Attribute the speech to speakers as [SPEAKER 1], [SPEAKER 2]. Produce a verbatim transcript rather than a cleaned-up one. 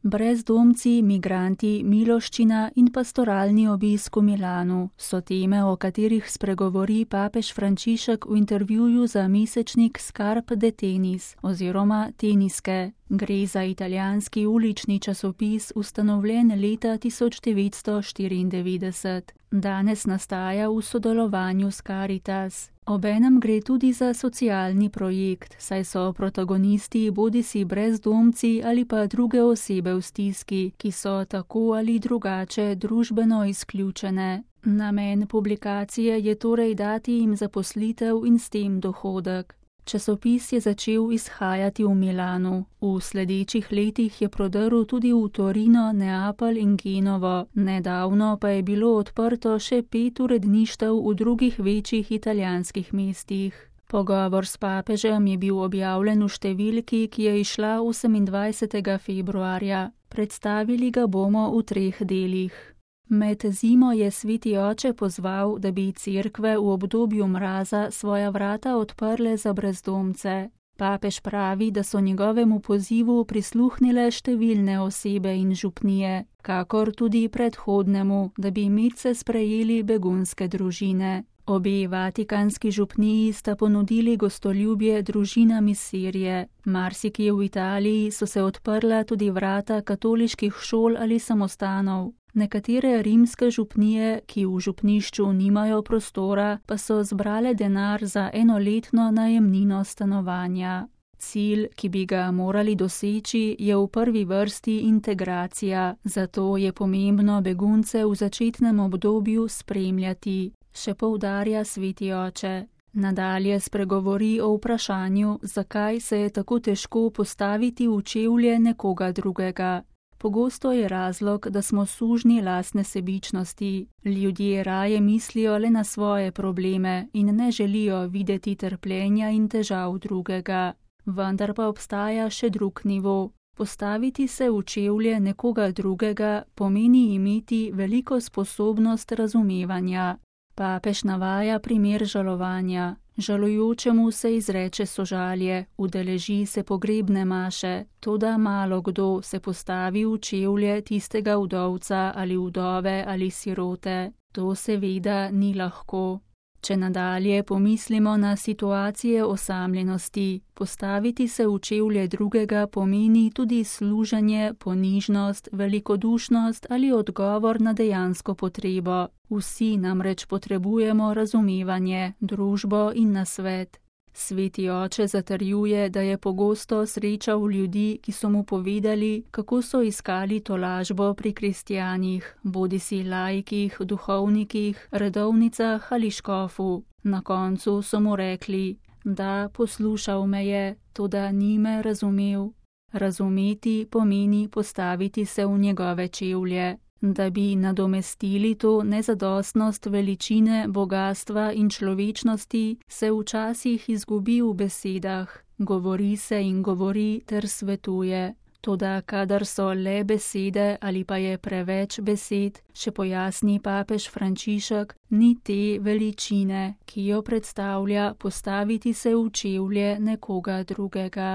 [SPEAKER 1] Brezdomci, migranti, miloščina in pastoralni obisk v Milanu so teme, o katerih spregovori papež Frančišek v intervjuju za mesečnik Scarpe de Tenis oziroma Teniske. Gre za italijanski ulični časopis, ustanovljen leta tisoč devetsto štiriindevetdeset. Danes nastaja v sodelovanju s Caritas. Obenem gre tudi za socialni projekt, saj so protagonisti bodisi brezdomci ali pa druge osebe v stiski, ki so tako ali drugače družbeno izključene. Namen publikacije je torej dati jim zaposlitev in s tem dohodek. Časopis je začel izhajati v Milanu. V sledečih letih je prodrl tudi v Torino, Neapelj in Genovo. Nedavno pa je bilo odprto še pet uredništev v drugih večjih italijanskih mestih. Pogovor s papežem je bil objavljen v številki, ki je izšla osemindvajsetega februarja. Predstavili ga bomo v treh delih. Med zimo je sveti oče pozval, da bi cerkve v obdobju mraza svoja vrata odprle za brezdomce. Papež pravi, da so njegovemu pozivu prisluhnile številne osebe in župnije, kakor tudi predhodnemu, da bi medse sprejeli begunske družine. Obe vatikanski župniji sta ponudili gostoljubje družinam iz Sirije. Marsikje v Italiji so se odprla tudi vrata katoliških šol ali samostanov. Nekatere rimske župnije, ki v župnišču nimajo prostora, pa so zbrale denar za enoletno najemnino stanovanja. Cilj, ki bi ga morali doseči, je v prvi vrsti integracija, zato je pomembno begunce v začetnem obdobju spremljati, še poudarja sveti oče. Nadalje spregovori o vprašanju, zakaj se je tako težko postaviti v čevlje nekoga drugega. Pogosto je razlog, da smo sužnji lastne sebičnosti. Ljudje raje mislijo le na svoje probleme in ne želijo videti trpljenja in težav drugega. Vendar pa obstaja še drug nivo. Postaviti se v čevlje nekoga drugega pomeni imeti veliko sposobnost razumevanja. Papež navaja primer žalovanja. Žalujočemu se izreče sožalje, udeleži se pogrebne maše, toda malo kdo se postavi v čevlje tistega vdovca ali vdove ali sirote. To seveda ni lahko. Če nadalje pomislimo na situacije osamljenosti, postaviti se v čevlje drugega pomeni tudi služenje, ponižnost, velikodušnost ali odgovor na dejansko potrebo. Vsi namreč potrebujemo razumevanje, družbo in nasvet. Sveti oče zatrjuje, da je pogosto srečal ljudi, ki so mu povedali, kako so iskali tolažbo pri kristjanih, bodisi laikih, duhovnikih, redovnicah ali škofu. Na koncu so mu rekli, da poslušal me je, toda ni me razumel. Razumeti pomeni postaviti se v njegove čevlje. Da bi nadomestili to nezadostnost veličine, bogastva in človečnosti, se včasih izgubi v besedah, govori se in govori ter svetuje. Toda kadar so le besede ali pa je preveč besed, še pojasni papež Frančišek, ni te veličine, ki jo predstavlja postaviti se v čevlje nekoga drugega.